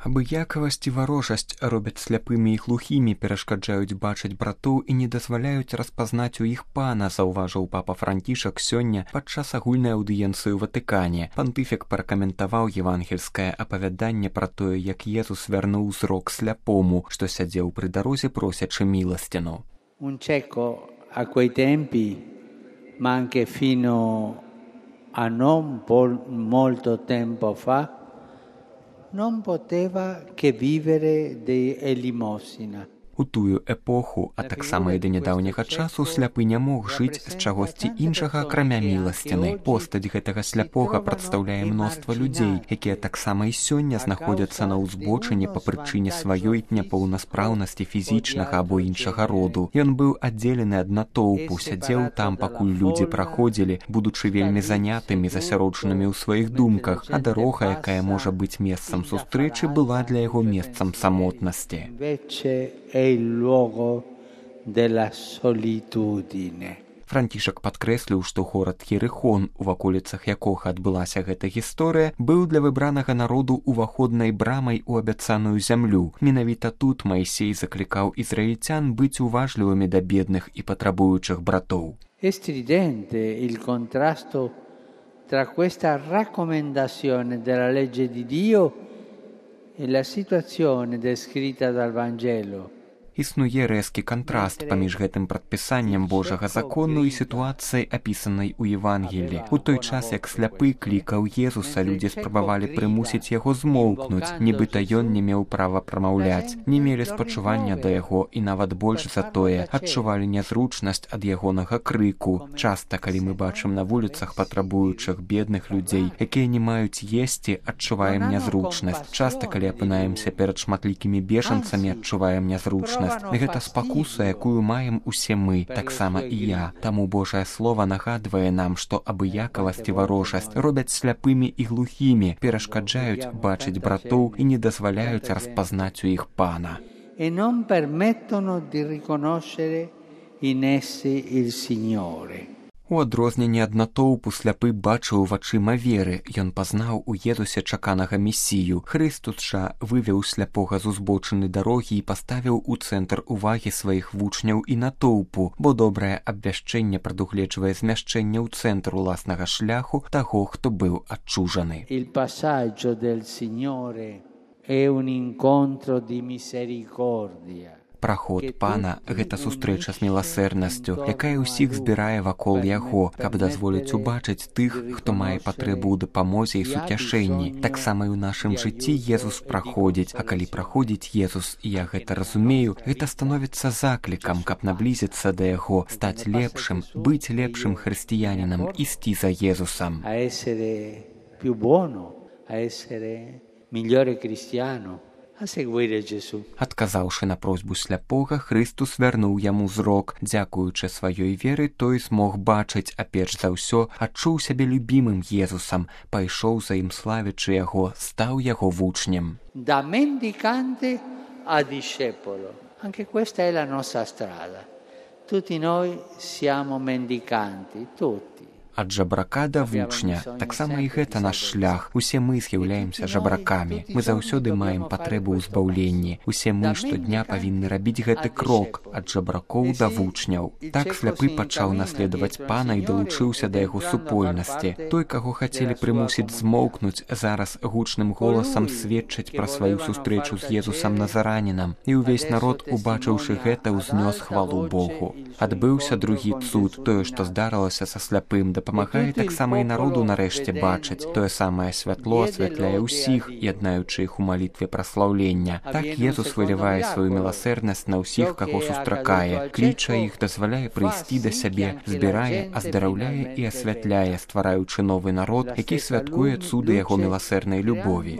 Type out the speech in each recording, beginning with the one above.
Абыякавасць і варожасць робяць сляпымі і глухімі, перашкаджаюць бачыць братоў і не дазваляюць распазнаць у іх пана, заўважыў папа Францішак сёння падчас агульнай аўдыенцыі ў Ватыкане. Пантыфік пракаментаваў евангельскае апавяданне пра тое, як Езус вярнуў зрок сляпому, што сядзеў пры дарозе просячы міласціну. Un cieco a quei tempi, ma anche fino a non molto tempo fa, non poteva che vivere di elemosina. У тую эпоху, а таксама і да нядаўняга часу, сляпы не мог жыць з чагосьці іншага, акрамя міласціны. Постаць гэтага сляпога прадстаўляе мноства людзей, якія таксама і сёння знаходзяцца на ўзбочыне па прычыне сваёй няпоўнаспраўнасці фізічнага або іншага роду. Ён быў аддзелены ад натоўпу, сядзеў там, пакуль людзі праходзілі, будучы вельмі занятымі, засяроджанымі ў сваіх думках, а дарога, якая можа быць месцам сустрэчы, была для яго месцам самотнасці. Il luogo della solitudine. Францішак падкрэсліў, што горад Єрихон, у ваколіцах якога адбылася гэта гісторыя, быў для выбранага народу уваходнай брамай у абяцаную зямлю. Менавіта тут Маісей заклікаў ізраільцян быць уважлівымі да бедных і патрабуючых братоў. È stridente il contrasto tra questa raccomandazione della legge di Dio e la situazione descritta dal Vangelo. Існуе рэзкі кантраст паміж гэтым прадпісаннем Божага закону і сітуацыяй, апісанай у Евангелі. У той час, як сляпы клікаў Езуса, людзі спрабавалі прымусіць яго змоўкнуць, нібыта ён не меў права прамаўляць, не мелі спачування да яго і нават больш за тое, адчувалі нязручнасць ад ягонага крыку. Часта, калі мы бачым на вуліцах патрабуючых бедных людзей, якія не маюць есці, адчуваем нязручнасць. Часта, калі апынаемся перад шматлікімі бежанцамі, адчуваем нязручнасць. Гэта спакуса, якую маем усе мы, таксама і я. Таму Божае Слова нагадвае нам, што абыякавасць і варожасць робяць сляпымі і глухімі, перашкаджаюць бачыць братоў і не дазваляюць распазнаць у іх пана. E non permettono di riconoscere in essi il Signore. У адрозненні ад натоўпу сляпы бачыў вачыма веры. Ён пазнаў у Езусе чаканага месію. Хрыстус жа вывеў сляпога з узбочыны дарогі і паставіў у цэнтр увагі сваіх вучняў і натоўпу, бо добрае абвяшчэнне прадугледжвае змяшчэнне ў цэнтр уласнага шляху таго, хто быў адчужаны. Il passaggio del Signore è un incontro di misericordia. Праход пана – гэта сустрэча з міласэрнасцю, якая ўсіх збірае вакол яго, каб дазволіць убачыць тых, хто мае патрэбу ў дапамозе і суцяшэнні. Таксама і ў нашым жыцці Езус праходзіць, а калі праходзіць Езус, і я гэта разумею, гэта становіцца заклікам, каб наблізіцца да яго, стаць лепшым, быць лепшым хрысціянінам, ісці за Езусам. A essere più buono, a essere migliore cristiano. Адказаўшы на просьбу сляпога, Хрыстус вярнуў яму зрок. Дзякуючы сваёй веры, той змог бачыць, а перш за ўсё адчуў сябе любімым Езусам, пайшоў за ім славячы яго, стаў яго вучнем. Da mendicante a discepolo. Anche questa è la nostra strada. Tutti noi siamo mendicanti, tutti. Ад жабрака да вучня. Таксама і гэта наш шлях. Усе мы з'яўляемся жабракамі. Мы заўсёды маем патрэбу ў збаўленні. Усе мы штодня павінны рабіць гэты крок ад жабракоў да вучняў. Так сляпы пачаў наследаваць пана і далучыўся да яго супольнасці. Той, каго хацелі прымусіць змоўкнуць, зараз гучным голасам сведчыць пра сваю сустрэчу з Езусам Назаранінам. І ўвесь народ, убачыўшы гэта, узнёс хвалу Богу. Адбыўся другі цуд. Тое, што здарылася са сляпым, дапамагае таксама і народу нарэшце бачыць. Тое самае святло асвятляе ўсіх, яднаючы іх у малітве праслаўлення. Так Езус вылівае сваю міласэрнасць на ўсіх, каго сустракае, кліча іх, дазваляе прыйсці да сябе, збірае, аздараўляе і асвятляе, ствараючы новы народ, які святкуе цуды яго міласэрнай любові.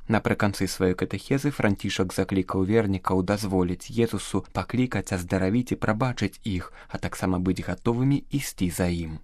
Напрыканцы сваёй катэхезы Францішак заклікаў вернікаў дазволіць Езусу паклікаць, аздаравіць і прабачыць іх, а таксама быць гатовымі ісці за ім.